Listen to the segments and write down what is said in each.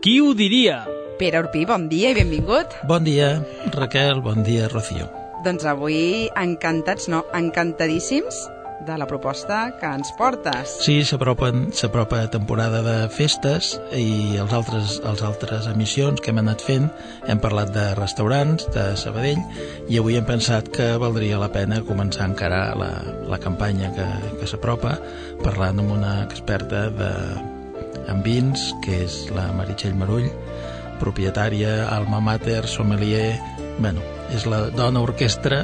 Qui ho diria? Pere Urpí, bon dia i benvingut. Bon dia, Raquel, bon dia, Rocío. Doncs avui encantats, no, encantadíssims de la proposta que ens portes. Sí, s'apropa temporada de festes i els altres emissions que hem anat fent hem parlat de restaurants, de Sabadell, i avui hem pensat que valdria la pena començar a encarar la campanya que s'apropa parlant amb una experta en vins, que és la Meritxell Marull, propietària, alma mater, sommelier, és la dona orquestra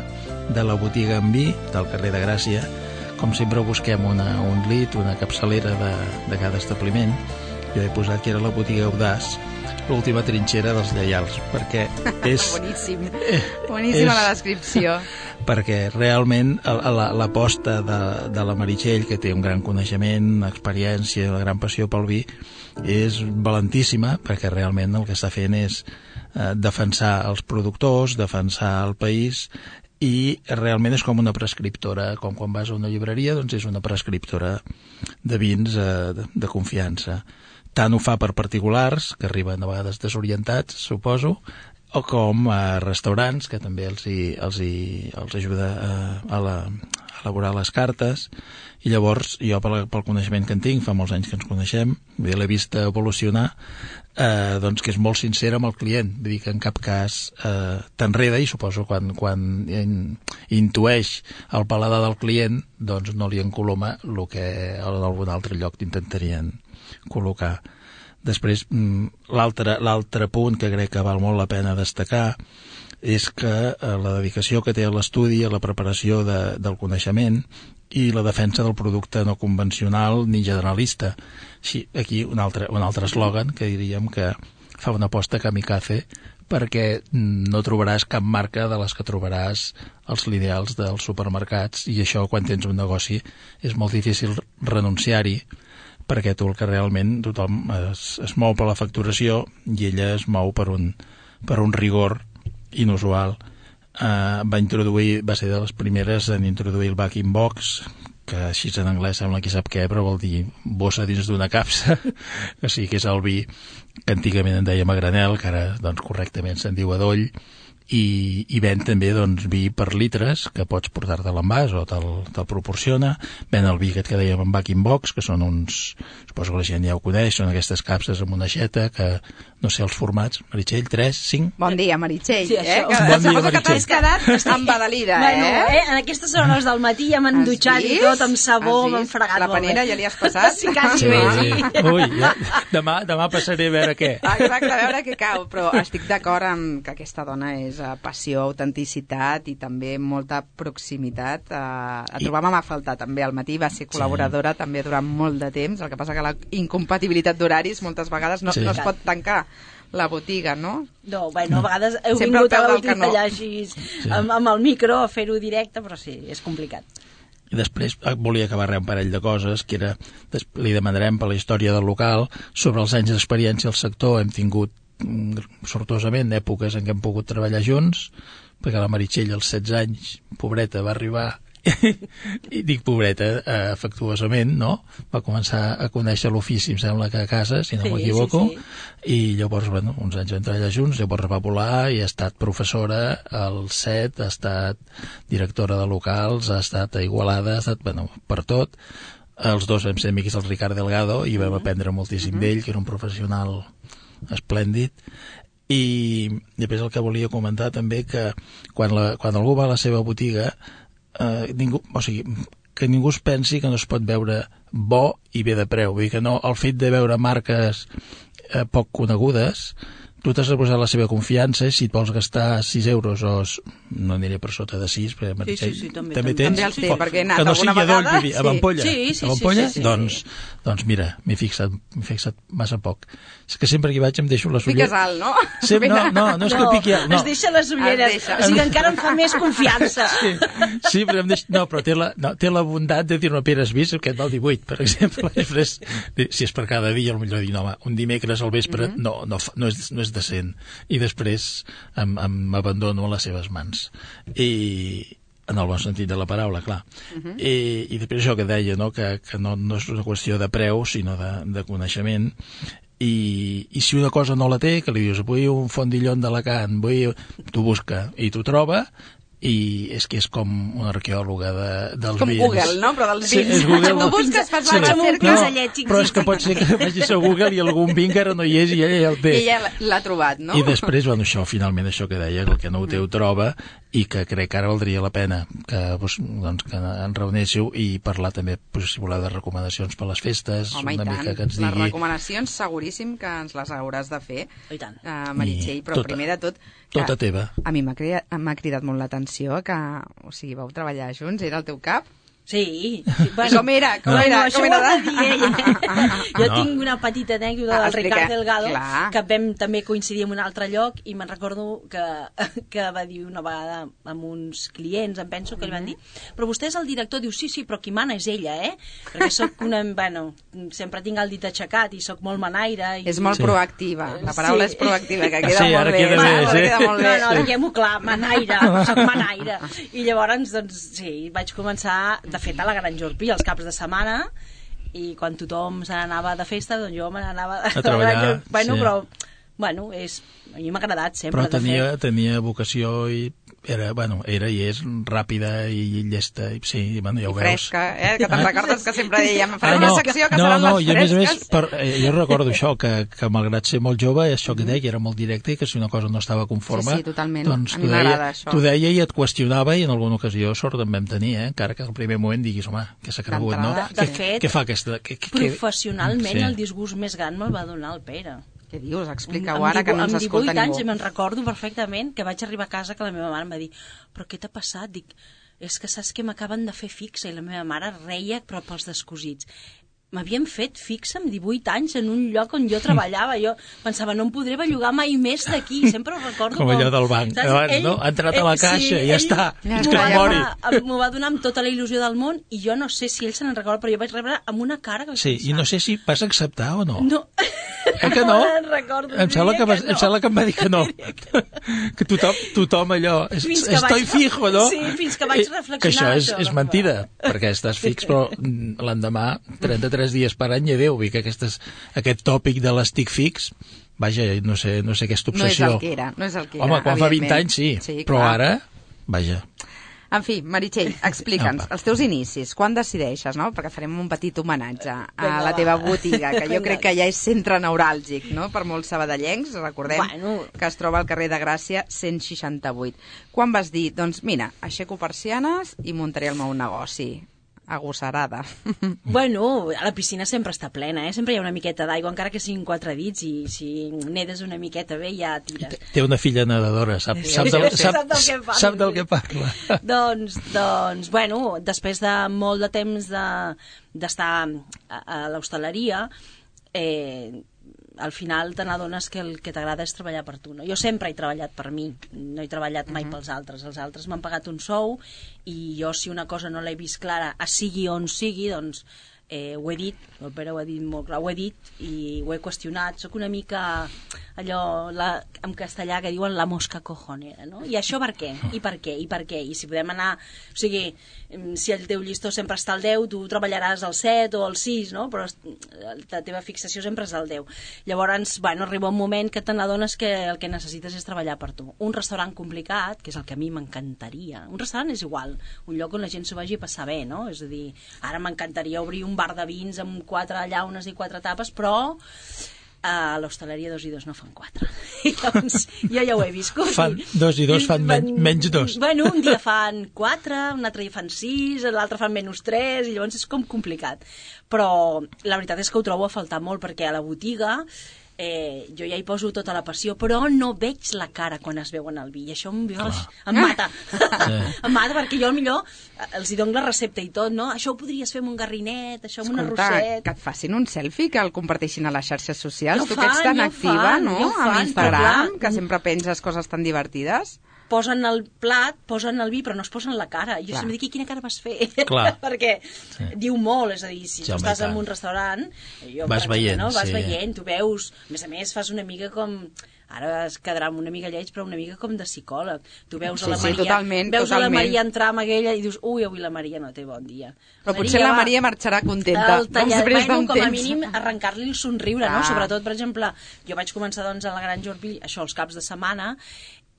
de la botiga en vi del carrer de Gràcia. Com sempre busquem un lit, una capçalera de cada establiment. Jo he posat que era la botiga Audaç, l'última trinxera dels lleials, perquè és... Boníssima la descripció. Perquè realment l'aposta de la Meritxell, que té un gran coneixement, experiència, una gran passió pel vi, és valentíssima, perquè realment el que està fent és defensar els productors, defensar el país, i realment és com una prescriptora, com quan vas a una llibreria, doncs és una prescriptora de vins de confiança. Tant ho fa per particulars, que arriben a vegades desorientats, suposo, o com a restaurants, que també els ajuda a elaborar les cartes. I llavors, jo pel coneixement que en tinc, fa molts anys que ens coneixem, l'he vist evolucionar, doncs que és molt sincera amb el client, vull dir que en cap cas t'enreda, i suposo quan intueix el paladar del client, doncs no li encoloma el que en algun altre lloc t'intentarien col·locar. Després, l'altre punt que crec que val molt la pena destacar és que la dedicació que té a l'estudi, a la preparació del coneixement i la defensa del producte no convencional ni generalista. Sí, aquí un altre eslògan que diríem que fa una aposta kamikaze, perquè no trobaràs cap marca de les que trobaràs als lineals dels supermercats, i això, quan tens un negoci, és molt difícil renunciar-hi, perquè tu el que realment tothom es mou per la facturació i ella es mou per un rigor inusual. Va ser de les primeres en introduir el bag-in box, que així en anglès sembla qui sap què, però vol dir bossa dins d'una capsa, o sigui que és el vi que antigament en dèiem a granel, que ara doncs, correctament se'n diu adoll, i ven també doncs, vi per litres, que pots portar-te a l'envàs o te'l proporciona. Ven el vi aquest que dèiem en bag-in box, que són uns, suposo que la gent ja ho coneix, són aquestes capses amb una aixeta, que no sé els formats, Meritxell, 3, 5... Bon dia, Meritxell. Sí, això. Bon dia, Meritxell. Que t'has quedat embadalida, En aquestes hores del matí ja m'han dutxat i tot, amb sabó, m'han fregat. La panera ja li has passat? Sí, quasi bé. Ui, ja. Demà passaré a veure què. Exacte, a veure què cau, però estic d'acord amb que aquesta dona és passió, autenticitat i també molta proximitat. La trobàvem a faltar també al matí, va ser col·laboradora també durant molt de temps, el que passa que la incompatibilitat d'horaris moltes vegades no es pot tancar la botiga, no? No, a vegades heu Sempre vingut a la botiga no. allà així amb el micro a fer-ho directe, però sí, és complicat. I després volia acabar un parell de coses, que era, li demanarem per la història del local, sobre els anys d'experiència al sector. Hem tingut sortosament èpoques en què hem pogut treballar junts, perquè la Meritxell als 16 anys, pobreta, va arribar i dic pobreta afectuosament, no? Va començar a conèixer l'ofici, em sembla que a casa, si no m'equivoco, i llavors, uns anys vam treballar junts, llavors va volar i ha estat professora al CET, ha estat directora de locals, ha estat a Igualada, ha estat, per tot. Els dos vam ser amics del Ricard Delgado i vam aprendre moltíssim d'ell, que era un professional esplèndid. I després el que volia comentar també, que quan algú va a la seva botiga, que ningú es pensi que no es pot veure bo i bé de preu. Vull dir que no, el fet de veure marques poc conegudes, tu t'has de posar la seva confiança, i si et vols gastar 6 euros o no aniré per sota de 6, perquè Meritxell també tens, també els té, perquè he anat que no sigui adoll, vull dir, amb ampolla, amb ampolla? Doncs mira, m'he fixat massa poc. És que sempre que hi vaig em deixo les ulleres. Piques alt, no? No és que piqui alt, no. Es deixa les ulleres, o sigui que encara em fa més confiança. Sí, però té la bondat de dir, no, Pere, has vist aquest val 18, per exemple. Després, si és per cada dia, potser dir, no, home, un dimecres al vespre no és decent. I després m'abandono a les seves mans. I en el bon sentit de la paraula, clar. I després això que deia, no? Que no és una qüestió de preu, sinó de coneixement. i si una cosa no la té, que li dius vull un fondillon d'Alacant, t'ho busca i t'ho troba, i és que és com una arqueòloga dels com vins. Google, no? Però dels Sí, vins. és Google. Tu busques, fas la recerca. Però és que pot ser que vagis a Google i algun vi encara no hi és i ella ja el té. I ella l'ha trobat, no? I després, bueno, finalment això que deia, el que no ho té ho troba, i que crec que ara valdria la pena que ens reunéssiu i parlar també, si voleu, de recomanacions per les festes. Home, una mica que ens les digui... recomanacions seguríssim que ens les hauràs de fer, I Meritxell, però primer de tot... Tota teva. A mi m'ha cridat molt l'atenció que, o sigui, vau treballar junts, era el teu cap? Sí. Bueno, com era? Com era? Això ho ha de dir ella. Jo tinc una petita anècdota del Ricard Delgado, que vam també coincidir en un altre lloc, i me'n recordo que va dir una vegada amb uns clients, em penso, que li van dir, però vostè és el director? Diu, sí, però qui mana és ella, perquè soc una... Bueno, sempre tinc el dit aixecat i soc molt manaire. És molt proactiva, la paraula és proactiva, que queda molt bé. Queda molt bé. No, diguem-ho clar, manaire, soc manaire. I llavors, doncs, sí, vaig començar... De fet, a la Gran Jorpí, els caps de setmana, i quan tothom se n'anava de festa, doncs jo me n'anava a treballar. Bueno, sí. Però, a mi m'ha agradat sempre. Però tenia vocació i era i és ràpida i llesta, i sí, bueno, ja ho veus. I fresca, que te'n recordes que sempre dèiem farem una secció que seran les fresques. I a més, jo recordo això, que malgrat ser molt jove, això que deia, que era molt directe, i que si una cosa no estava conforme, sí, totalment. Doncs a mi m'agrada això. T'ho deia i et qüestionava, i en alguna ocasió sort en vam tenir, encara que al primer moment diguis, home, que s'ha cregut, no? De fet, què fa aquesta? professionalment el disgust més gran me'l va donar el Pere. Què dius? Explica-ho ara, que no ens escolta ningú. Amb 18 anys me'n recordo perfectament que vaig arribar a casa, que la meva mare em va dir, però què t'ha passat? Dic, és que saps que m'acaben de fer fixa, i la meva mare reia però pels descosits. M'havien fet fixa amb 18 anys en un lloc on jo treballava. Jo pensava, no em podré bellugar mai més d'aquí. Sempre ho recordo com allò del banc. Abans, no? Ha entrat a la caixa, sí, ja està. És que es mori. M'ho va donar amb tota la il·lusió del món, i jo no sé si ell se n'en recorda, però jo vaig rebre amb una cara que vaig pensar. I no sé si vas acceptar o no. No. Que no? Recordo, em sembla que em va dir que no. Que tothom allò... Estoy fijo, no? Sí, fins que vaig reflexionar. Que això és mentida, perquè estàs fix, però l'endemà, 33 dies per any, i adéu, i que aquest tòpic de l'estic fix, vaja, no sé aquesta obsessió. No és el que era. Home, quan fa 20 anys sí, però ara, vaja... En fi, Meritxell, explica'ns els teus inicis, quan decideixes, no? Perquè farem un petit homenatge a la teva botiga, que jo crec que ja és centre neuràlgic, no?, per molts sabadellencs, recordem que es troba al carrer de Gràcia 168. Quan vas dir, doncs mira, aixeco persianes i muntaré el meu negoci? Agosarada. Bueno, a la piscina sempre està plena, sempre hi ha una miqueta d'aigua, encara que siguin 4 dits, i si nedes una miqueta bé ja tires. Té una filla nedadora, sap del que parla. Doncs, bueno, després de molt de temps d'estar a l'hostaleria, al final te n'adones que el que t'agrada és treballar per tu, no? Jo sempre he treballat per mi, no he treballat mai pels altres. Els altres m'han pagat un sou, i jo, si una cosa no l'he vist clara, sigui on sigui, doncs ho he dit, el Pere ho ha dit molt clar, ho he dit i ho he qüestionat. Soc una mica allò, en castellà, que diuen la mosca cojonera, no? I això per què? I per què? I per què? I si podem anar... O sigui, si el teu llistó sempre està al 10, tu treballaràs al 7 o al 6, no? Però la teva fixació sempre és al 10. Llavors, bueno, arriba un moment que te n'adones que el que necessites és treballar per tu. Un restaurant complicat, que és el que a mi m'encantaria. Un restaurant és igual, un lloc on la gent s'ho vagi a passar bé, no? És a dir, ara m'encantaria obrir un bar de vins amb 4 llaunes i 4 tapes, però a l'hostaleria 2 i 2 no fan 4. I llavors, jo ja ho he viscut. Fan 2 i 2 fan menys 2. Bueno, un dia fan 4, un altre dia fan 6, l'altre fan menys 3, i llavors és com complicat. Però la veritat és que ho trobo a faltar molt, perquè a la botiga jo ja hi poso tota la passió, però no veig la cara quan es veuen el vi, i això em mata. Em mata, perquè jo millor els hi dono la recepta i tot, no? Això ho podries fer amb un garrinet, això amb un arrosset. Que et facin un selfie, que el comparteixin a les xarxes socials. Tu que ets tan activa, no?, a l'Instagram, que sempre penses coses tan divertides. posen el plat, posen el vi, però no es posen la cara. I jo sempre dic, quina cara vas fer? Perquè diu molt, és a dir, si tu estàs en un restaurant, vas veient, no? Vas veient, tu veus, a més fas una mica com... Ara es quedarà una mica lleig, però una mica com de psicòleg. Tu veus a la Maria, totalment. A la Maria entrar amb aquella i dius, ui, avui la Maria no té bon dia. Però potser la Maria marxarà contenta. Després d'un temps. Com a mínim, arrencar-li el somriure, no? Sobretot, per exemple, jo vaig començar a la Granja Orpí, això els caps de setmana,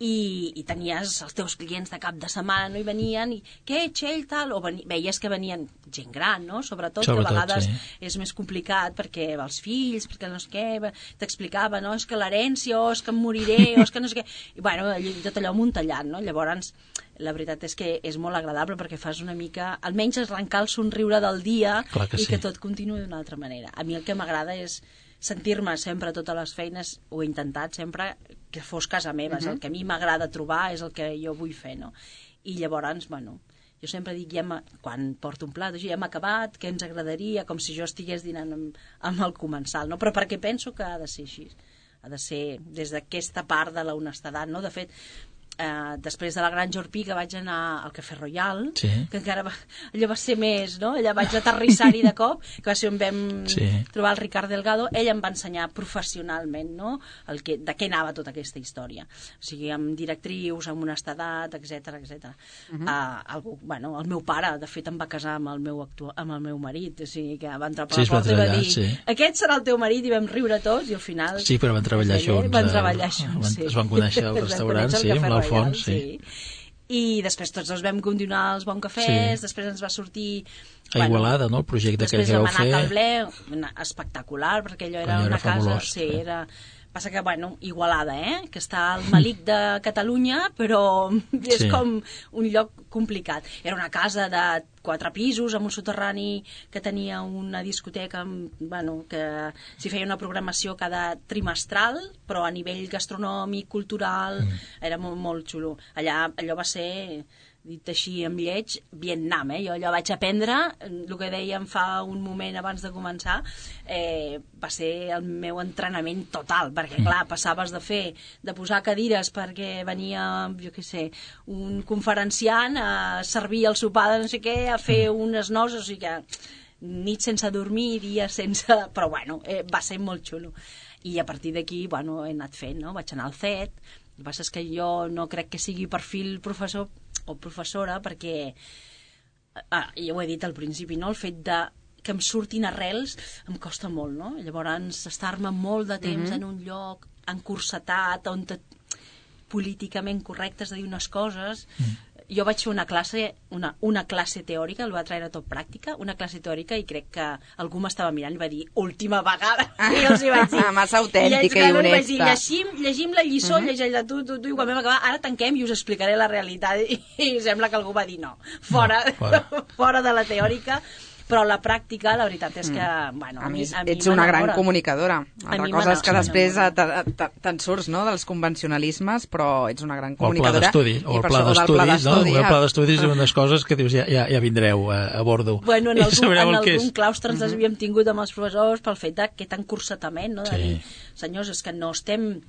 i tenies els teus clients de cap de setmana, no hi venien, i què, Txell, tal, o veies que venien gent gran, no? Sobretot que a vegades és més complicat perquè els fills, perquè no sé què, t'explicava, no? És que l'herència, o és que em moriré, o és que no sé què... I bueno, tot allò muntallant, no? Llavors, la veritat és que és molt agradable perquè fas una mica, almenys arrencar el somriure del dia i que tot continuï d'una altra manera. A mi el que m'agrada és sentir-me sempre a totes les feines, ho he intentat sempre, que fos casa meva, el que a mi m'agrada trobar és el que jo vull fer, no? I llavors, bueno, jo sempre dic, quan porto un plat, ja hem acabat, què ens agradaria, com si jo estigués dinant amb el comensal, no? Però perquè penso que ha de ser així, ha de ser des d'aquesta part de l'honestedat, no? De fet, després de la Granja Orpí, que vaig anar al Cafè Royal, que encara allò va ser més, no? Allà vaig aterrissar-hi de cop, que va ser on vam trobar el Ricard Delgado. Ell em va ensenyar professionalment, no? De què anava tota aquesta història. O sigui, amb directrius, amb honestedat, etc. Bueno, el meu pare, de fet, em va casar amb el meu marit, o sigui, que va entrar per la porta i va dir, aquest serà el teu marit, i vam riure tots, i al final... Sí, però van treballar junts. Van treballar junts, sí. Es van conèixer al restaurant, sí, amb l'Alfons. Sí. I després tots dos vam continuar els bons cafès, després ens va sortir a Igualada, no? El projecte que ja vau fer. Després vam anar a Calblé, espectacular, perquè allò era una casa... Sí, era... Passa que, bueno, Igualada, que està al malic de Catalunya, però és com un lloc complicat. Era una casa de 4 pisos, amb un soterrani que tenia una discoteca, bueno, que s'hi feia una programació cada trimestral, però a nivell gastronòmic, cultural, era molt, molt xulo. Allò va ser... dit així amb lleig, Vietnam, jo allò vaig aprendre, el que dèiem fa un moment abans de començar, va ser el meu entrenament total, perquè clar, passaves de posar cadires perquè venia, jo què sé, un conferenciant a servir el sopar de no sé què, a fer unes noces, o sigui que nit sense dormir, dies sense... Però bueno, va ser molt xulo. I a partir d'aquí, bueno, he anat fent, no? Vaig anar al CET, el que passa és que jo no crec que sigui perfil professor o professora, perquè ja ho he dit al principi, no? El fet que em surtin arrels em costa molt, no? Llavors estar-me molt de temps en un lloc encursetat, on políticament correcte és de dir unes coses. Jo vaig fer una classe teòrica, el va traure tot pràctica, una classe teòrica, i crec que algú m'estava mirant i va dir, última vegada, i els hi vaig dir. Massa autèntica i honesta. Llegim la lliçó, llegeix-la tu, i quan vam acabar, ara tanquem i us explicaré la realitat. I sembla que algú va dir no, fora de la teòrica. Però la pràctica, la veritat és que... Bueno, a mi ets una gran comunicadora. Altra cosa és que després te'n surts, no?, dels convencionalismes, però ets una gran comunicadora. O el pla d'estudis, no? El pla d'estudis és unes coses que dius, ja vindreu a bordo. Bueno, en algun claustre ens havíem tingut amb els professors pel fet d'aquest encursetament, no?, de dir, senyors, és que no estem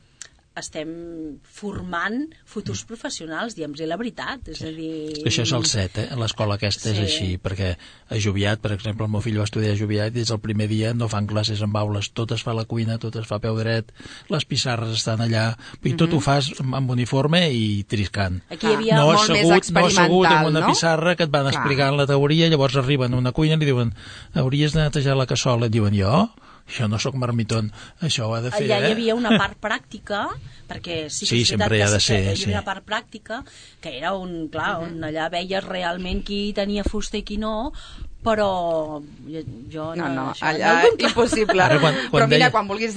formant futurs professionals, diguem-los la veritat, és a dir... Això és el CET, l'escola aquesta és així, perquè a Joviat, per exemple, el meu fill va estudiar a Joviat i des del primer dia no fan classes en aules, tot es fa a la cuina, tot es fa a peu dret, les pissarres estan allà, i tot ho fas amb uniforme i triscant. Aquí hi havia molt més experimental, no assegut en una pissarra que et van explicant la teoria, llavors arriben a una cuina i li diuen, hauries de netejar la cassola, et diuen, jo no sóc marmitón, això ho ha de fer, Allà hi havia una part pràctica, perquè sí, sempre hi ha de ser, hi havia una part pràctica, que era on allà veies realment qui tenia fusta i qui no, però jo no, allà impossible. Però mira, quan vulguis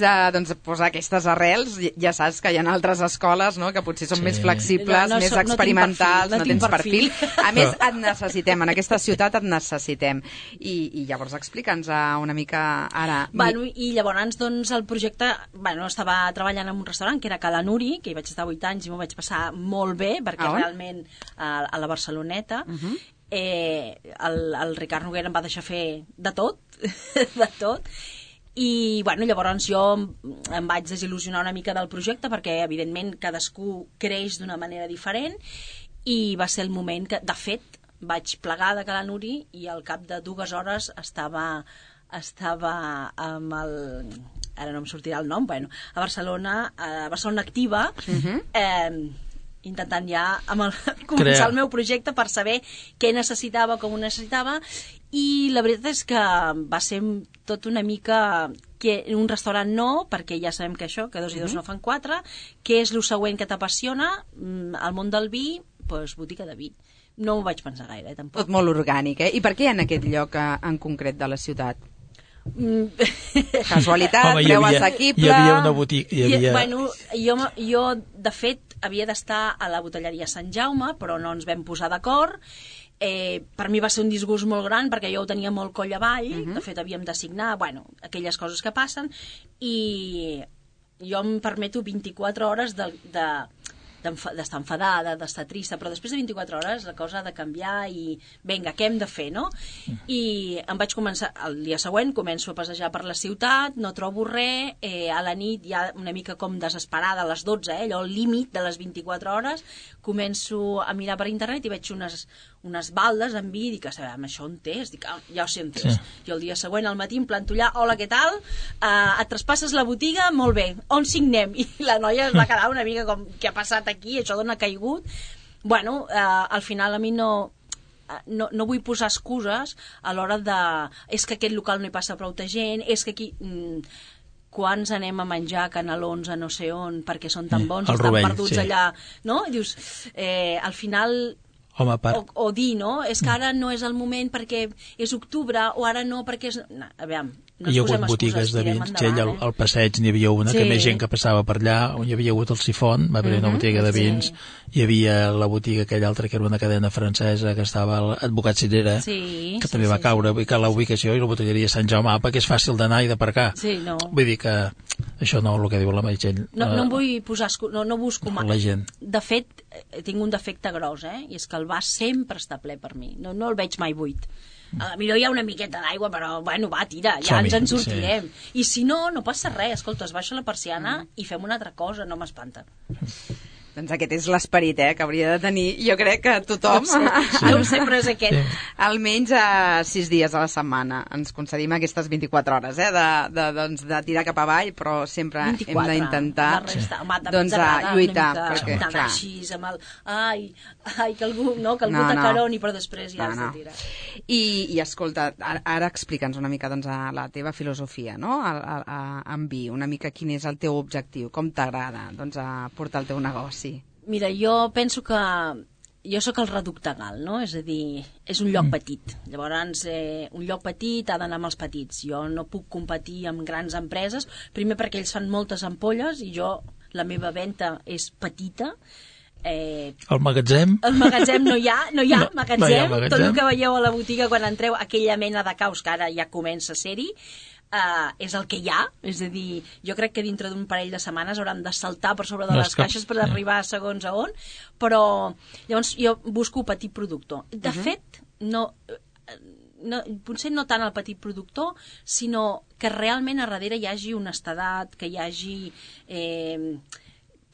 posar aquestes arrels, ja saps que hi ha altres escoles, no?, que potser són més flexibles, més experimentals, no tens perfil. A més, et necessitem, en aquesta ciutat et necessitem. I llavors explica'ns una mica ara... I llavors, doncs, el projecte... Estava treballant en un restaurant que era Cala Nuri, que hi vaig estar 8 anys i m'ho vaig passar molt bé, perquè realment a la Barceloneta... el Ricard Noguera em va deixar fer de tot, I llavors jo em vaig desil·lusionar una mica del projecte perquè evidentment cadascú creix d'una manera diferent i va ser el moment que, de fet, vaig plegar de Ca l'Anuri i al cap de 2 hores estava amb el... ara no em sortirà el nom, a Barcelona Activa, intentant ja començar el meu projecte per saber què necessitava, com ho necessitava, i la veritat és que va ser tot una mica que un restaurant no, perquè ja sabem que això, que 2 i 2 no fan 4, què és el següent que t'apassiona, al món del vi, doncs botiga de vi. No ho vaig pensar gaire, tampoc. Tot molt orgànic, eh? I per què en aquest lloc en concret de la ciutat? Casualitat, home, preu assequible... Hi havia una botiga... Jo, de fet, havia d'estar a la botelleria Sant Jaume, però no ens vam posar d'acord. Per mi va ser un disgust molt gran perquè jo ho tenia molt coll avall, de fet havíem de signar, aquelles coses que passen, i jo em permeto 24 hores d'estar enfadada, d'estar trista, però després de 24 hores la cosa ha de canviar i vinga, què hem de fer, no? I em vaig començar, el dia següent començo a passejar per la ciutat, no trobo res, a la nit ja una mica com desesperada, a les 12, allò al límit de les 24 hores, començo a mirar per internet i veig unes baldes en vi, dic, això on és? Dic, ja ho sé on és. Jo el dia següent al matí em planto allà, hola, què tal? Et traspasses la botiga? Molt bé, on signem? I la noia es va quedar una mica com, què ha passat aquí? Això d'on ha caigut? Al final a mi no vull posar excuses a l'hora de... És que aquest local no hi passa prou gent, és que aquí... Quants anem a menjar canelons a no sé on perquè són tan bons, estan perduts allà, no? I dius, al final... Home, o dir, no? És que ara no és el moment perquè és octubre, o ara no perquè és... No, aviam, no hi ha hagut botigues de vins, al passeig n'hi havia una, que més gent que passava per allà, on hi havia hagut el Sifon, va haver una botiga de vins, hi havia la botiga aquella altra que era una cadena francesa, que estava l'Advocat Cirera, que també va caure, vull dir que la ubicació i la botelleria Sant Jaume Apa, que és fàcil d'anar i d'aparcar. Vull dir que això no, el que diu la Meritxell. No em vull posar... No busco mai. La gent. De fet, tinc un defecte gros, i és que el vas sempre està ple per mi. No el veig mai buit. Millor hi ha una miqueta d'aigua, però va, tira, ja ens en sortirem. I si no, no passa res, escolta, es baixa la persiana i fem una altra cosa, no m'espanta. Doncs aquest és l'esperit, que hauria de tenir, jo crec que tothom... No ho sé, però és aquest. Almenys 6 dies a la setmana ens concedim aquestes 24 hores, de tirar cap avall, però sempre hem d'intentar lluitar. Perquè, clar... Així, amb el... Ai, que algú t'acaroni, però després ja has de tirar. I escolta, ara explica'ns una mica la teva filosofia, no? En vi, una mica quin és el teu objectiu, com t'agrada portar el teu negoci. Mira, jo penso que jo sóc el reducte gal, no? És a dir, és un lloc petit. Llavors, un lloc petit ha d'anar amb els petits. Jo no puc competir amb grans empreses, primer perquè ells fan moltes ampolles i la meva venda és petita. El magatzem? El magatzem no hi ha magatzem. Tot el que veieu a la botiga quan entreu, aquella mena de caos que ara ja comença a ser-hi, és el que hi ha, és a dir, jo crec que dintre d'un parell de setmanes hauran de saltar per sobre de les caixes per arribar a segons a on, però llavors jo busco petit productor. De fet, potser no tant el petit productor, sinó que realment a darrere hi hagi honestedat, que hi hagi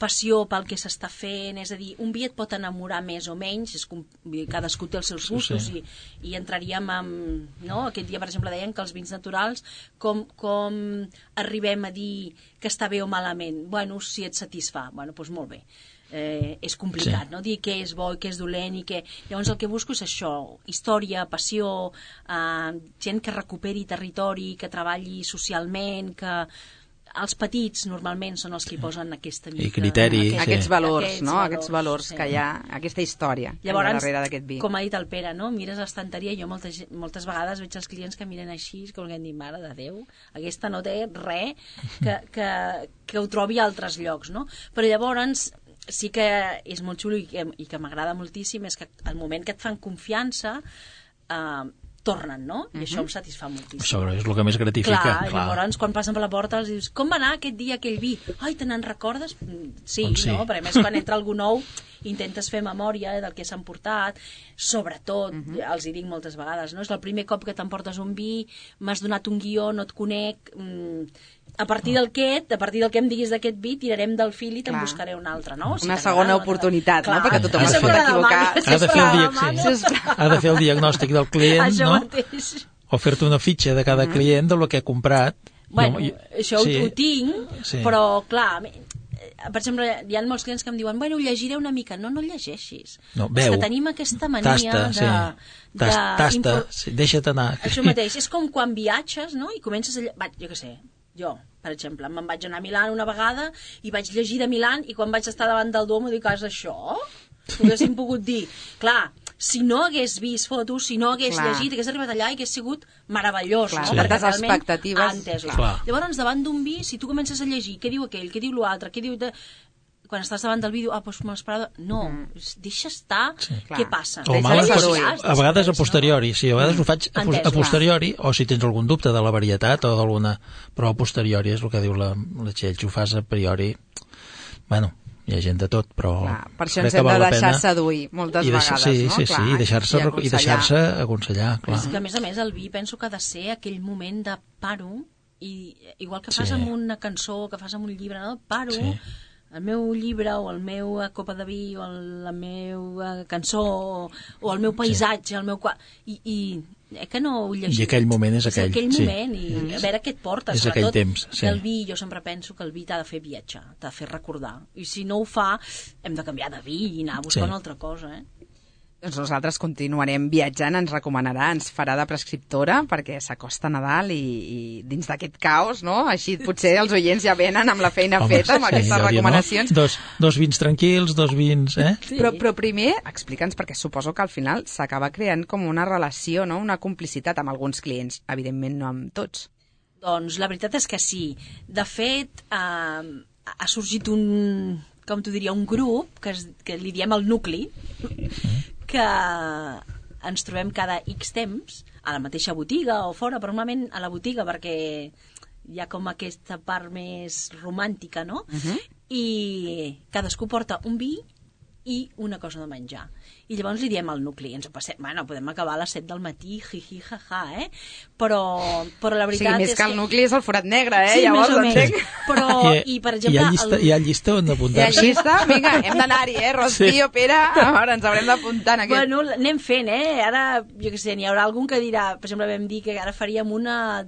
passió pel que s'està fent, és a dir, un vi et pot enamorar més o menys, cadascú té els seus gustos i entraríem amb... No? Aquest dia, per exemple, deien que els vins naturals, com arribem a dir que està bé o malament? Bueno, si et satisfà, doncs molt bé. És complicat, no? Dir què és bo i què és dolent i què... Llavors el que busco és això, història, passió, gent que recuperi territori, que treballi socialment, que... Els petits normalment són els que posen aquesta mica... I criteri. Aquests valors, no? Aquests valors que hi ha, aquesta història llavors, darrere d'aquest vi. Com ha dit el Pere, no? Mires l'estanteria i jo moltes vegades veig els clients que miren així, que volguem dir, mare de Déu, aquesta no té res que ho trobi a altres llocs, no? Però llavors sí que és molt xulo i que m'agrada moltíssim és que al moment que et fan confiança tornen, no? I això em satisfà moltíssim. Això és el que més gratifica. Clar. Llavors, quan passen per la porta, els dius, com va anar aquest dia aquell vi? Ai, te n'en recordes? Sí, no? Però a més, quan entra algú nou, intentes fer memòria del que s'han portat, sobretot, els hi dic moltes vegades, no? És el primer cop que t'emportes un vi, m'has donat un guió, no et conec, a partir del que em diguis d'aquest vi, tirarem del fil i te'n buscaré un altre, no? Una segona oportunitat, no? Perquè tothom es pot equivocar. Ha de fer el diagnòstic del client, no? O fer-te una fitxa de cada client del que ha comprat. Bueno, això ho tinc, però clar, per exemple, hi ha molts clients que em diuen bueno, llegiré una mica. No llegeixis. No, veu. És que tenim aquesta mania tasta, deixa't anar. Això mateix, és com quan viatges, no? I comences a... Jo què sé, jo, per exemple, me'n vaig anar a Milà una vegada i vaig llegir de Milà i quan vaig estar davant del Duomo dic, és això? Ho haguéssim pogut dir. Clar, si no hagués vist fotos, si no hagués llegit, hagués arribat allà i hagués sigut meravellós. Clar, tantes expectatives. Llavors, davant d'un vi, si tu comences a llegir què diu aquell, què diu l'altre, què diu... Quan estàs davant del vídeo, doncs m'esperava... No, deixa estar, què passa? A vegades a posteriori, sí, a vegades ho faig a posteriori, o si tens algun dubte de la varietat o d'alguna... Però a posteriori és el que diu la Txell, ho fas a priori... Bueno, hi ha gent de tot, però... Per això ens hem de deixar seduir moltes vegades, no? Sí, i deixar-se aconsellar, clar. És que, a més, el vi penso que ha de ser aquell moment de paro, i igual que fas amb una cançó, que fas amb un llibre, no? Paro, el meu llibre, o el meu copa de vi, o la meva cançó, o el meu paisatge, el meu... que no ho llegim. I aquell moment és aquell. És aquell moment, i a veure què et porta. És aquell temps, el vi, jo sempre penso que el vi t'ha de fer viatjar, t'ha de fer recordar. I si no ho fa, hem de canviar de vi i anar a buscar una altra cosa, Doncs nosaltres continuarem viatjant, ens recomanarà, ens farà de prescriptora, perquè s'acosta Nadal i dins d'aquest caos, no? Així potser els oients ja venen amb la feina feta, amb aquestes recomanacions. No? Dos vins tranquils, dos vins... Però primer, explica'ns, perquè suposo que al final s'acaba creant com una relació, no? Una complicitat amb alguns clients, evidentment no amb tots. Doncs la veritat és que sí. De fet, ha sorgit un grup que li diem el nucli, que ens trobem cada X temps a la mateixa botiga o fora, però normalment a la botiga perquè hi ha com aquesta part més romàntica, no? I cadascú porta un vi i una cosa de menjar. I llavors li diem al nucli, ens ho passem, bueno, podem acabar a les 7 del matí, jiji, jaja, però la veritat més és que el nucli és el forat negre, sí, llavors entenc. Però, i per exemple... Hi ha llista on apuntar-se? Hi ha llista? Vinga, hem d'anar-hi, Rocío, Pere, ara ens haurem d'apuntar en aquest... Bueno, anem fent, ara, jo què sé, n'hi haurà algun que dirà, per exemple, vam dir que ara faríem una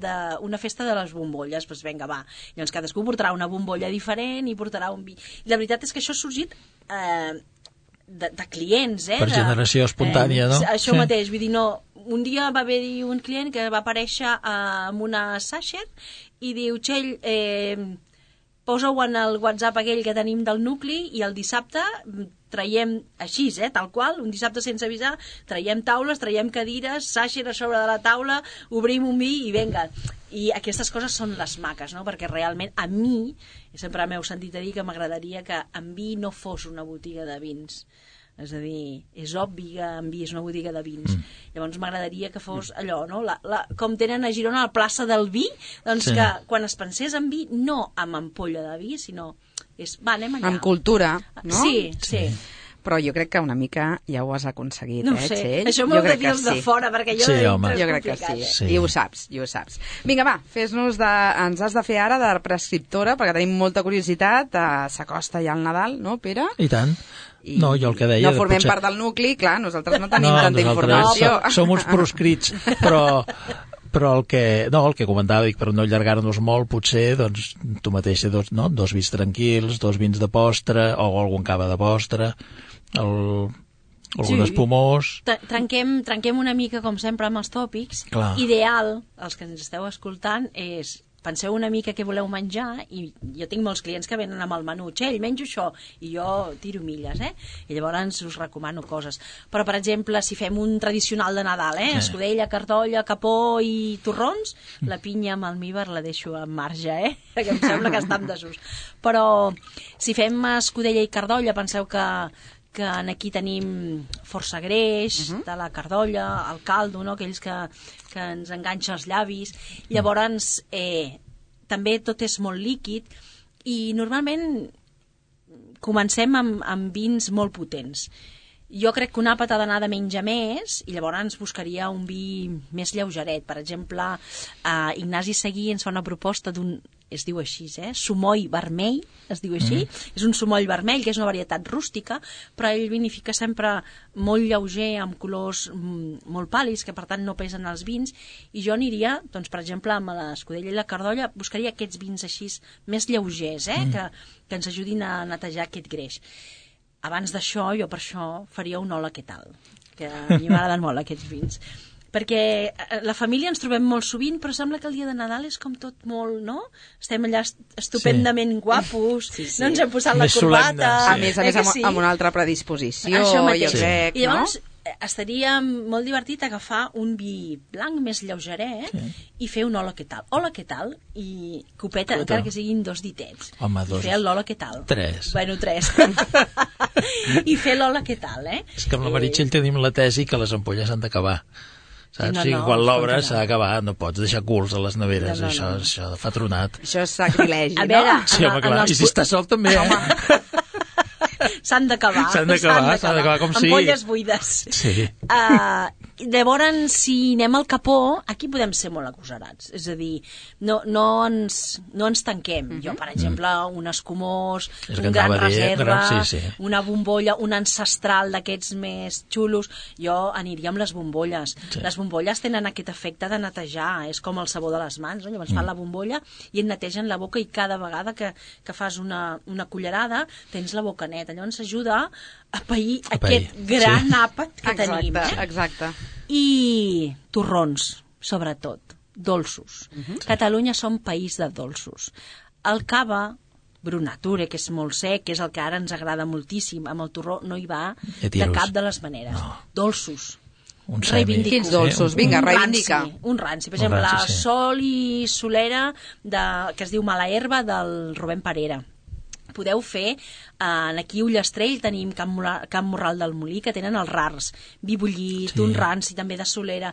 festa de les bombolles, doncs vinga, va. Llavors cadascú portarà una bombolla diferent i portarà un vi. I la veritat és que això ha sorgit... de clients, per generació espontània, no? Això mateix, vull dir, no, un dia va haver-hi un client que va aparèixer amb una sachet i diu, Txell, posa-ho en el WhatsApp aquell que tenim del nucli i el dissabte traiem així, tal qual, un dissabte sense avisar, traiem taules, traiem cadires, sachet a sobre de la taula, obrim un vi i venga. I aquestes coses són les maques, no? Perquè realment a mi, sempre m'heu sentit a dir que m'agradaria que en vi no fos una botiga de vins. És a dir, és obvi que en vi és una botiga de vins. Llavors m'agradaria que fos allò, no? Com tenen a Girona la plaça del vi, doncs que quan es pensés en vi, no amb ampolla de vi, sinó anem allà. Amb cultura, no? Sí. Però jo crec que una mica ja ho has aconseguit, no sé, Txell? Això m'ho heu de dir els de fora, perquè jo jo crec que sí. I ho saps. Vinga, va, ens has de fer ara de prescriptora, perquè tenim molta curiositat, s'acosta ja el Nadal, no, Pere? I tant. No, jo el que deia... No formem part del nucli, clar, nosaltres no tenim tanta informació. Som uns proscrits, però el que comentava, dic, per no allargar-nos molt, potser, doncs, tu mateixa, dos vins tranquils, dos vins de postre, o algun cava de postre, algun espumós... Trenquem una mica, com sempre, amb els tòpics. Clar. Ideal, els que ens esteu escoltant, és... Penseu una mica què voleu menjar, i jo tinc molts clients que venen amb el menú, Txell, menjo això, i jo tiro milles, i llavors us recomano coses. Però, per exemple, si fem un tradicional de Nadal, escudella, cartolla, capó i torrons, la pinya amb almíbar la deixo en marge, perquè em sembla que està en desús. Però, si fem escudella i cardolla, penseu que aquí tenim força greix de la cardolla, el caldo, no? Aquells que ens enganxa els llavis. Llavors, també tot és molt líquid i normalment comencem amb vins molt potents. Jo crec que un àpat ha d'anar de menys a més i llavors buscaria un vi més lleugeret. Per exemple, Ignasi Seguí ens fa una proposta d'un, es diu així, sumoll vermell, es diu així. És un sumoll vermell, que és una varietat rústica, però ell vinifica sempre molt lleuger, amb colors molt pàl·lids, que per tant no pesen els vins, i jo aniria, doncs, per exemple, amb l'Escudella i la Cardolla, buscaria aquests vins així més lleugers, que ens ajudin a netejar aquest greix. Abans d'això, jo per això faria un hola, què tal? Que a mi m'agraden molt aquests vins. Perquè la família ens trobem molt sovint, però sembla que el dia de Nadal és com tot molt, no? Estem allà estupendament guapos, no ens hem posat la corbata... A més, amb una altra predisposició, jo crec, I llavors estaria molt divertit agafar un vi blanc més lleugeret i fer un hola, què tal? Hola, què tal? I copeta, encara que siguin 2 ditets. Home, 2. I fer l'hola, què tal? 3. Bueno, 3. I fer l'hola, què tal, És que amb la Meritxell tenim la tesi que les ampolles s'han d'acabar. Saps? No, quan l'obres s'ha d'acabar, no pots deixar culs a les neveres, això fa tronat. Això és sacrilegi, a veure, no? Sí, home, clar, i si estàs sol també, S'han d'acabar com sigui. Ampolles buides. Sí. Llavors, si anem al capó, aquí podem ser molt agosarats. És a dir, no ens tanquem. Jo, per exemple, un escumós, un gran reserva, una bombolla, un ancestral d'aquests més xulos, jo aniria amb les bombolles. Les bombolles tenen aquest efecte de netejar, és com el sabó de les mans, no? Llavors fan la bombolla i et netegen la boca, i cada vegada que fas una cullerada tens la boca neta. Llavors ajuda a pair aquest gran àpat que tenim. Exacte. I torrons, sobretot, dolços. Catalunya som país de dolços. El cava, Brunature, que és molt sec, que és el que ara ens agrada moltíssim, amb el torró no hi va de cap de les maneres. Dolços. Quins dolços? Vinga, reivindica. Un ranci. Per exemple, la Sol i Solera, que es diu Mala Herba, del Rubén Parera. Podeu fer, aquí a Ullastrell tenim Can Morral del Molí, que tenen els rars, vi bullit, un ranci també de Solera,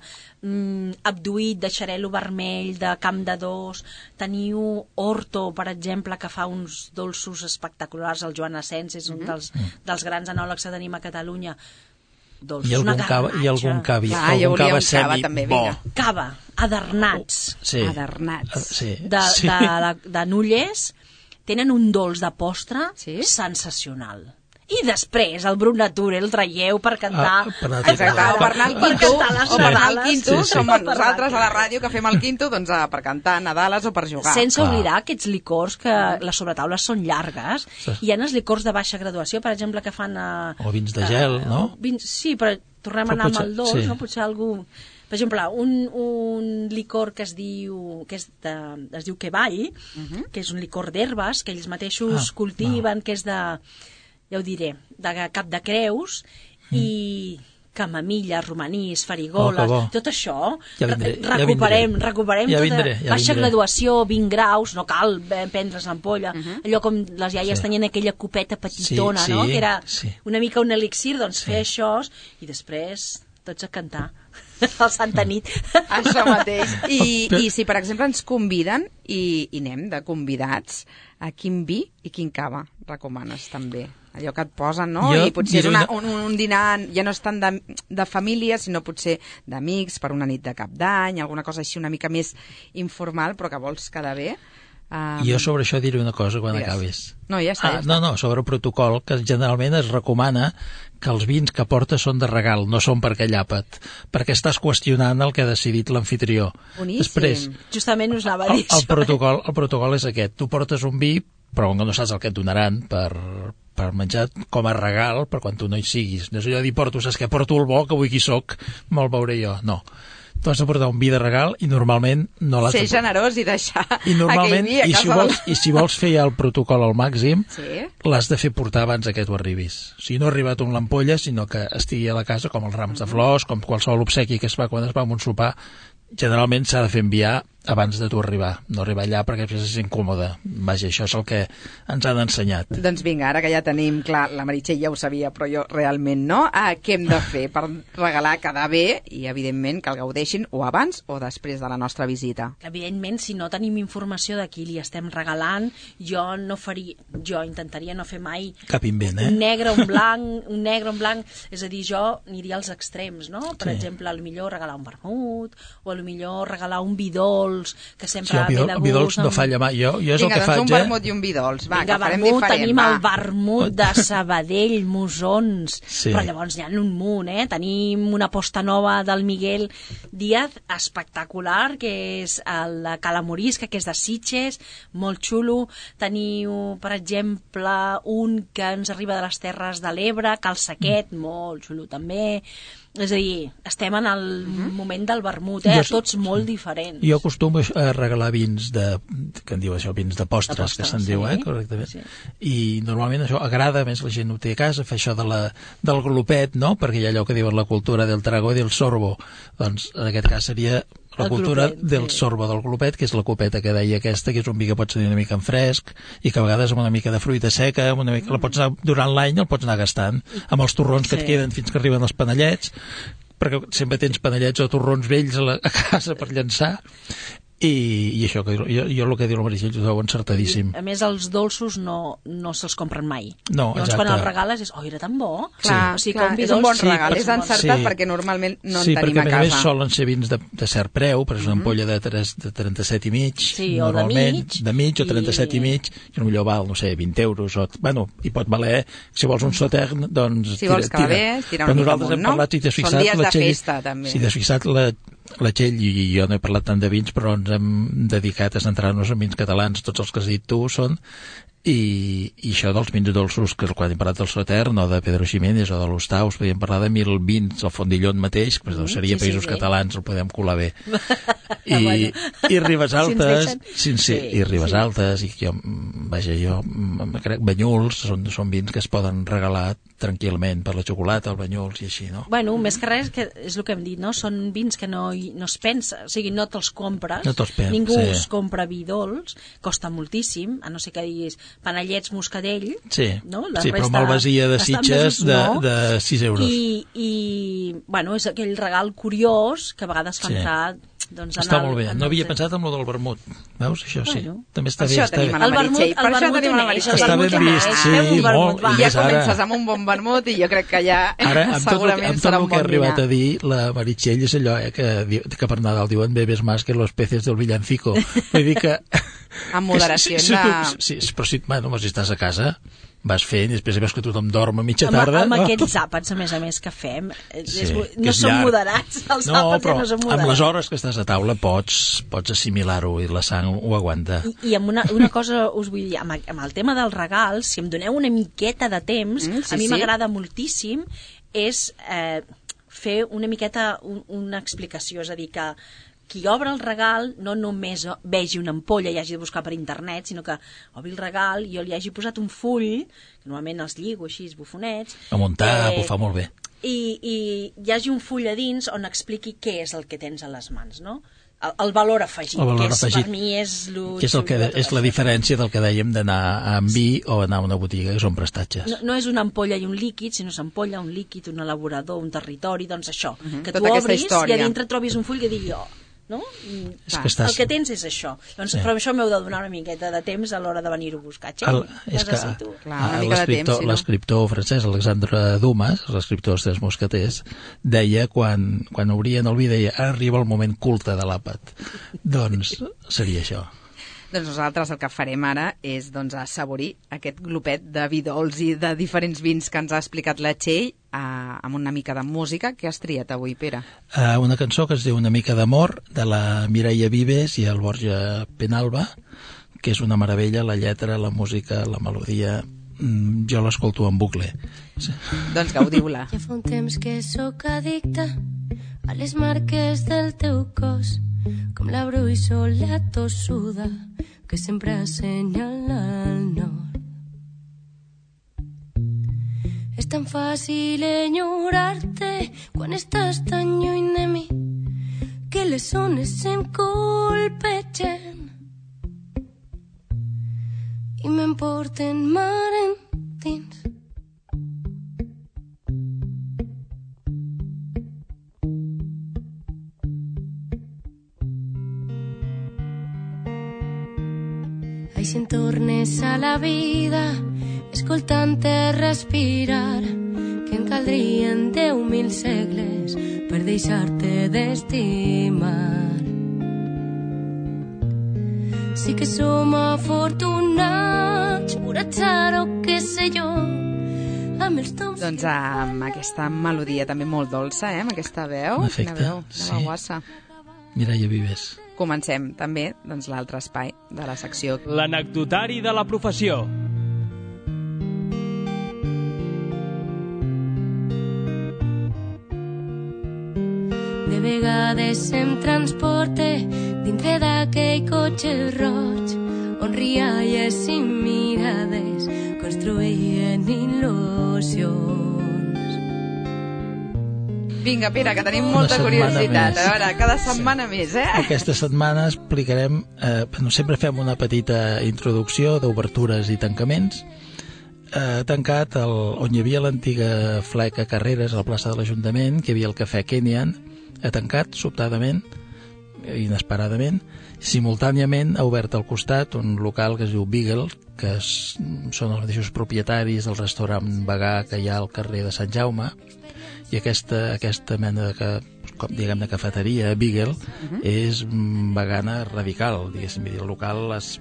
abduït de xarel·lo vermell, de Camp de Dos, teniu Horto, per exemple, que fa uns dolços espectaculars, el Joan Asens és un dels grans enòlegs que tenim a Catalunya. I algun cava semi bo. Cava, adernats. Adernats. De Nulles, tenen un dolç de postre sensacional. I després el Brunature el traieu per cantar... per anar al quinto. Som nosaltres a la ràdio que fem el quinto per cantar Nadales o per jugar. Sense oblidar aquests licors que les sobretaules són llargues. Hi ha els licors de baixa graduació, per exemple, que fan... O vins de gel, no? Sí, però tornem a anar amb el dolç, no? Potser algú... Per exemple, un licor que es diu Quevall, que és un licor d'herbes, que ells mateixos cultiven, que és de, ja ho diré, de Cap de Creus, i camamilla, romanís, farigoles, tot això, recuperem tota baixa graduació, 20 graus, no cal prendre's l'ampolla, allò com les iaies tenien aquella copeta petitona, no? Que era una mica un elixir, doncs fer això, i després tots a cantar al Santa Nit. Això mateix. I si, per exemple, ens conviden i anem de convidats, a quin vi i quin cava recomanes també? Allò que et posen, no? I potser és un dinar, ja no és tant de família, sinó potser d'amics, per una nit de cap d'any, alguna cosa així una mica més informal, però que vols quedar bé. Jo sobre això diré una cosa quan acabis. No, ja està. No, sobre el protocol, que generalment es recomana que els vins que portes són de regal, no són per aquell àpat, perquè estàs qüestionant el que ha decidit l'amfitrió. Boníssim. Després, justament us anava a dir el protocol és aquest. Tu portes un vi, però no saps el que et donaran per menjar com a regal per quan tu no hi siguis. No és allò de dir, saps què? Porto el bo, que avui qui soc, me'l veuré jo. No. Tu has de portar un vi de regal i normalment no l'has de... Ser generós i deixar aquell vi a casa I si vols fer ja el protocol al màxim, l'has de fer portar abans que tu arribis. O sigui, no ha arribat amb l'ampolla, sinó que estigui a la casa, com els rams de flors, com qualsevol obsequi que es fa quan es va a un sopar, generalment s'ha de fer enviar abans de tu arribar, no arribar allà perquè és incòmode. Vaja, això és el que ens han ensenyat. Doncs vinga, ara que ja tenim clar, la Meritxell ja ho sabia, però jo realment no, què hem de fer per regalar quedar bé i, evidentment, que el gaudeixin o abans o després de la nostra visita? Evidentment, si no tenim informació de qui li estem regalant, jo intentaria no fer mai cap invent, un negre, un blanc, és a dir, jo aniria als extrems, no? Per exemple, millor regalar un vermut, o millor regalar un vi dolç, que sempre ve de gust. Vi dolç no falla mai. Jo és el que faig, un vermut i un vi dolç. Va, que farem vermut, diferent. Tenim el vermut de Sabadell, Mosons, sí. Però llavors hi ha un munt, Tenim una posta nova del Miguel Díaz, espectacular, que és el de Cala Morisca, que és de Sitges, molt xulo. Teniu, per exemple, un que ens arriba de les Terres de l'Ebre, Cal Saquet, molt xulo també. És a dir, estem en el moment del vermut, tots molt diferents. Jo acostumo a regalar vins que en diu això, vins de postres, que se'n diu, correctament. Sí. I normalment això agrada, més la gent ho té a casa, fer això del glopet, no? Perquè hi ha allò que diuen la cultura del trago i del sorbo. Doncs en aquest cas seria la cultura del sorbo del glopet, que és la copeta que deia aquesta, que és un vi que pots tenir una mica en fresc i que a vegades amb una mica de fruita seca, la pots anar, durant l'any el pots anar gastant, amb els torrons que et queden fins que arriben els panellets, perquè sempre tens panellets o torrons vells a casa per llançar. I això, jo el que diu la Meritxell ho trobo encertadíssim. A més, els dolços no se'ls compren mai. No, llavors, quan els regales és, era tan bo. Clar, sí. És un bon regal, és encertat perquè normalment no en tenim a casa. Sí, perquè a més solen ser vins de cert preu, però és una ampolla de 37 i mig, sí, normalment, de mig o 37 i mig, i potser val, no sé, 20 euros, i pot valer, si vols un Sautern, doncs si vols calés, tira una mica amunt, no? Són dies de festa, també. Si t'has fixat, la Txell i jo no he parlat tant de vins, però ens hem dedicat a centrar-nos en vins catalans. Tots els que has dit tu són i això dels vins dolços, que quan hem parlat del Sautern o de Pedro Ximénez o de l'Ostaus, podíem parlar de 1000 vins, el Fondillon mateix, que seria països catalans, el podem colar bé. I Ribes Altes, i Ribes Altes, i jo crec Banyuls, són vins que es poden regalar tranquil·lament per la xocolata, el Banyuls i així, no? Bueno, més que res, que és el que hem dit, no? Són vins que no es pensa, o sigui, no te'ls compres, ningú es compra vi dolç, costa moltíssim, a no ser que diguis panellets Moscadell, no? Però malvasia de Sitges de 6 euros. I bueno, és aquell regal curiós que a vegades fa entrar... Està molt bé, no havia pensat en lo del vermut, veus? Això sí, també està bé. Per això tenim la Meritxell. Està ben vist, sí, molt. I ja comences amb un bon vermut i jo crec que ja segurament serà un bon dinar. Amb tot el que ha arribat a dir, la Meritxell és allò que per Nadal diuen bebes más que los peces del villancico. Vull dir que... Amb moderació. Sí, però si estàs a casa... vas fent i després veus que tothom dorm a mitja tarda. Amb aquests àpats, a més que fem, no són moderats, els àpats ja no són moderats. Amb les hores que estàs a taula pots assimilar-ho i la sang ho aguanta. I amb una cosa us vull dir, amb el tema del regal, si em doneu una miqueta de temps, a mi m'agrada moltíssim, és fer una miqueta una explicació, és a dir, que qui obre el regal no només vegi una ampolla i hagi de buscar per internet, sinó que obri el regal i jo li hagi posat un full, que normalment els lligo així, bufonets. A muntar, ho fa molt bé. I hi hagi un full a dins on expliqui què és el que tens a les mans, no? El valor afegit, per mi és... És la diferència del que dèiem d'anar amb vi o anar a una botiga, que són prestatges. No és una ampolla i un líquid, sinó és ampolla, un líquid, un elaborador, un territori, doncs això, que tu obris i a dintre trobis un full que digui no? El que tens és això. Doncs, però això m'heu de donar una miqueta de temps a l'hora de venir-ho a buscar. L'escriptor francès Alexandre Dumas, l'escriptor dels Tres Mosqueters, deia, quan obrien el vi, deia, arriba el moment culte de l'àpat. Doncs seria això. Doncs nosaltres el que farem ara és assaborir aquest glopet de vi dolç i de diferents vins que ens ha explicat la Txell amb una mica de música. Què has triat avui, Pere? Una cançó que es diu Una mica d'amor, de la Mireia Vives i el Borja Penalba, que és una meravella, la lletra, la música, la melodia... Jo l'escolto en bucle. Doncs gaudiu-la. Ja fa un temps que sóc addicta a les marques del teu cos, com la bruixola tossuda que sempre assenyala al nord. És tan fàcil enyorar-te quan estàs tan lluny de mi, que que les ones em colpegen i m'emporten mar endins. Ai, si en tornes a la vida escoltant-te respirar, que en caldrien 10.000 segles per deixar-te d'estimar. Sí que som afortunats, per atzar o què sé jo, amb els tons... Doncs amb aquesta melodia també molt dolça, amb aquesta veu. Efecte, Quina veu, sí. guassa. Mireia Vives. Comencem també l'altre espai de la secció. L'anecdotari de la professió. De vegades em transporte dintre d'aquell cotxe roig on rialles i mirades construïen il·lusions. Vinga, Pere, que tenim molta curiositat. A veure, cada setmana més, Aquesta setmana explicarem... sempre fem una petita introducció d'obertures i tancaments. Tancat on hi havia l'antiga fleca Carreres, a la plaça de l'Ajuntament, que hi havia el cafè Kenyan, ha tancat sobtadament, inesperadament. Simultàniament ha obert al costat un local que es diu Beagle, que són els mateixos propietaris del restaurant vegà que hi ha al carrer de Sant Jaume, i aquesta mena de cafeteria, Beagle, és vegana radical, diguéssim. El local es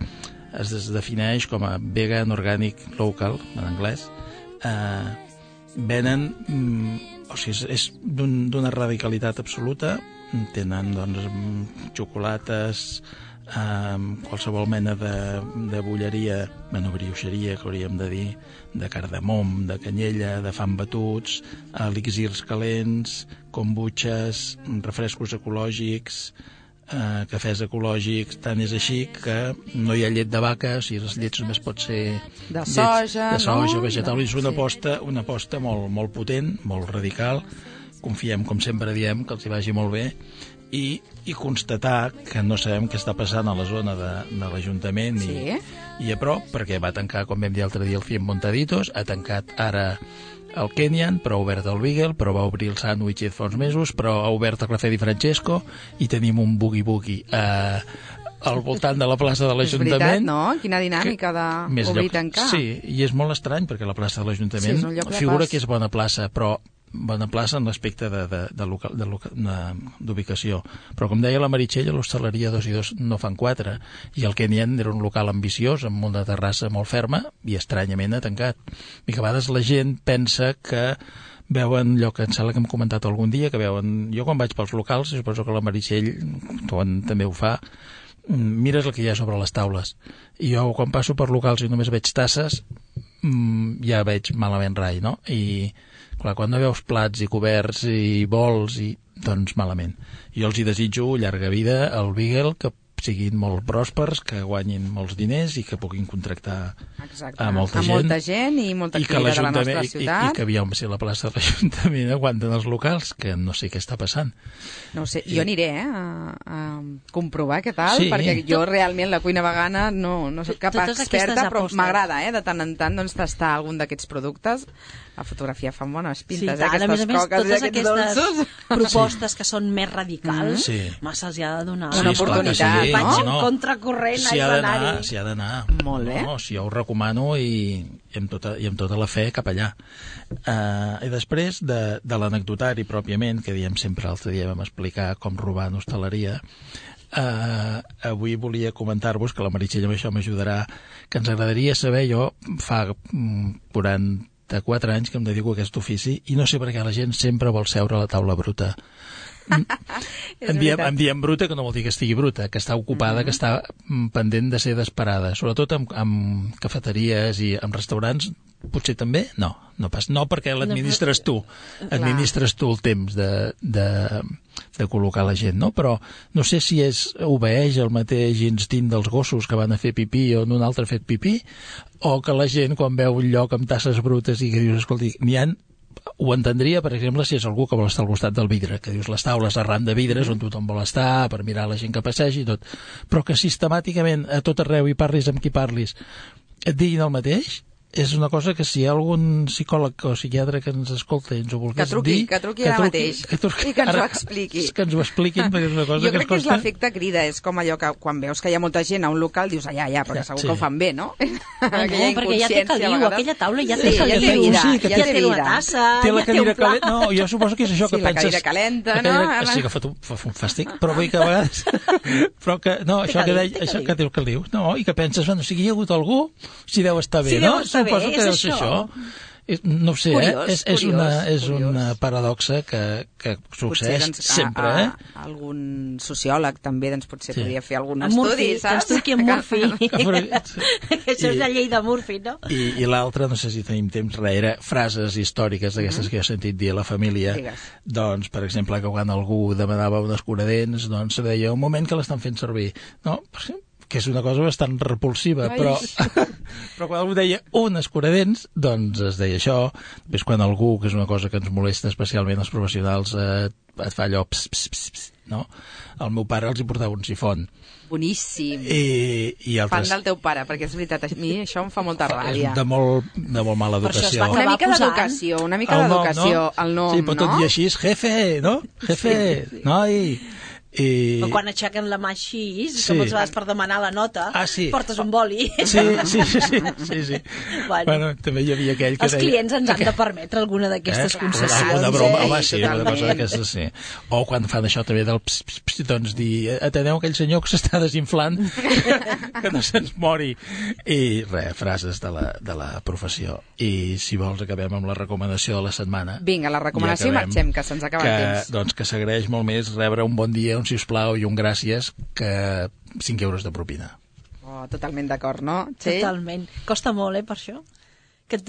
defineix com a vegan organic local, en anglès. Venen... O sigui, és d'una radicalitat absoluta. Tenen, doncs, xocolates, qualsevol mena de bulleria, brioixeria, que hauríem de dir, de cardamom, de canyella, de fam batuts, elixirs calents, kombuches, refrescos ecològics, cafès ecològics. Tant és així que no hi ha llet de vaca, o sigui, les llets només pot ser de soja, no? Vegetal. És una aposta molt potent, molt radical. Confiem, com sempre diem, que els hi vagi molt bé, i constatar que no sabem què està passant a la zona de l'Ajuntament i a prop, perquè va tancar, com vam dir l'altre dia, el Cien Montaditos, ha tancat ara el Kenyan, però ha obert el Beagle, però va obrir el Sandwich fa uns mesos, però ha obert el Cafè Di Francesco, i tenim un boogie-boogie al voltant de la plaça de l'Ajuntament. És veritat, no? Quina dinàmica d'obrir i tancar. Sí, i és molt estrany, perquè la plaça de l'Ajuntament figura que és bona plaça, però bona plaça en l'aspecte d'ubicació. Però, com deia la Meritxell, a l'hostaleria 2 i 2 no fan 4, i el Kenyan era un local ambiciós, amb una terrassa molt ferma, i estranyament ha tancat. I que a vegades la gent pensa que veuen allò que em sembla que hem comentat algun dia, que veuen... Jo quan vaig pels locals, suposo que la Meritxell també ho fa, mires el que hi ha sobre les taules. I jo, quan passo per locals i només veig tasses, ja veig malament rai, no? I clar, quan no veus plats i coberts i bols, doncs malament. Jo els hi desitjo llarga vida al Beagle, que siguin molt pròspers, que guanyin molts diners i que puguin contractar a molta gent i molta activitat de la nostra ciutat. I que aviam, si a la plaça de l'Ajuntament aguanten els locals, que no sé què està passant. No ho sé, jo aniré a comprovar què tal, perquè jo realment la cuina vegana no soc cap experta, però m'agrada de tant en tant tastar algun d'aquests productes. La fotografia fa bones pintes, aquestes coques i aquests dolços. Totes aquestes propostes que són més radicals, massa els hi ha de donar una oportunitat. Vaig en contracorrent, s'hi ha d'anar. Molt bé. Si jo ho recomano i amb tota la fe cap allà. I després de l'anecdotari pròpiament, que diem sempre l'altre dia vam explicar com robar en hostaleria, avui volia comentar-vos, que la Meritxell amb això m'ajudarà, que ens agradaria saber, jo fa 44 anys que em dedico a aquest ofici i no sé per què la gent sempre vol seure a la taula bruta. Em diem bruta, que no vol dir que estigui bruta, que està ocupada, que està pendent de ser desesperada, sobretot amb cafeteries i amb restaurants. Potser també? No pas. No, perquè l'administres tu. Administres tu el temps de col·locar la gent, no? Però no sé si obeeix el mateix instint dels gossos que van a fer pipí o un altre ha fet pipí, o que la gent, quan veu un lloc amb tasses brutes i que dius, escolti, n'hi ha ho entendria, per exemple, si és algú que vol estar al costat del vidre, que dius les taules arran de vidres on tothom vol estar per mirar la gent que passegi i tot, però que sistemàticament a tot arreu hi parlis amb qui parlis et diguin el mateix, és una cosa que si hi ha algun psicòleg o psiquiatre que ens escolta i ens ho volgués dir... Que truqui ara mateix i que ens ho expliqui. Que ens ho expliquin, perquè és una cosa jo que crec que és l'efecte crida, és com allò que quan veus que hi ha molta gent a un local dius, ja, perquè segur que ho fan bé, no? Perquè ja té caliu, aquella taula ja té caliu, ja té una tassa, ja té un pla. No, jo suposo que és això que penses... Sí, la cadira calenta, no? Sí, que fa un fàstic, però vull que a vegades... Però que, no, això que té caliu, no, i que penses, bueno, si hi ha hagut algú, si deu estar bé, no? Suposo que deu ser això. No ho sé, és una paradoxa que succeeix sempre. Algun sociòleg també potser podria fer algun estudi, saps? Que ens truqui en Murphy. Això és la llei de Murphy, no? I l'altre, no sé si tenim temps, era frases històriques d'aquestes que he sentit dir a la família. Doncs, per exemple, que quan algú demanava un escuradents, doncs se deia un moment que l'estan fent servir. No, que és una cosa bastant repulsiva, però quan algú deia un escuradents, doncs es deia això. Després quan algú, que és una cosa que ens molesta especialment els professionals, et fa allò no? El meu pare els hi portava un sifon. Boníssim. I altres... Fan del teu pare, perquè és veritat, a mi això em fa molta ràbia. De molt mala educació. Una mica d'educació, el nom, sí, però tot i així és jefe, no? Jefe, noi... O quan aixequen la mà així, com els vas per demanar la nota, portes un boli. Sí. Bueno, també hi havia aquell que els clients ens han de permetre alguna d'aquestes concessions. Una broma, home, sí, una cosa d'aquestes, sí. O quan fan això també del doncs dir, ateneu aquell senyor que s'està desinflant, que no se'ns mori. I res, frases de la professió. I si vols acabem amb la recomanació de la setmana. Vinga, la recomanació i marxem, que se'ns acaba el temps. Doncs que s'agraeix molt més rebre un bon dia, un sisplau i un gràcies que 5 euros de propina. Oh, totalment d'acord, no, Txell? Totalment. Costa molt, per això. Que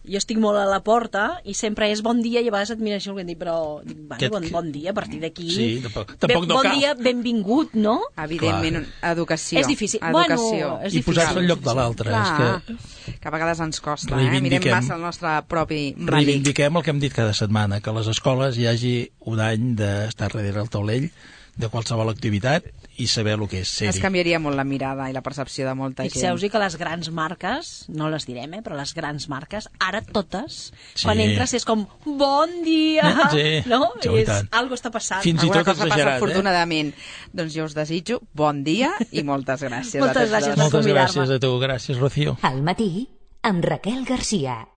jo estic molt a la porta i sempre és bon dia i a vegades et mira això i dic, però bon dia, a partir d'aquí... Sí, tampoc no cal. Bon dia, benvingut, no? Evidentment, educació. És difícil. Educació. I posar-se al lloc de l'altre. Que a vegades ens costa, mirem massa el nostre propi melic. Reivindiquem el que hem dit cada setmana, que a les escoles hi hagi un any d'estar darrere el taulell de qualsevol activitat i saber el que és ser-hi. Es canviaria molt la mirada i la percepció de molta gent. Fixeu-vos que les grans marques, no les direm, però les grans marques, ara totes, quan entres és com, bon dia! No? Algo està passant. Fins i tot cosa passa afortunadament. Doncs jo us desitjo bon dia i moltes gràcies. Moltes gràcies per convidar-me. Moltes gràcies a tu. Gràcies, Rocío. Al matí, amb Raquel Garcia.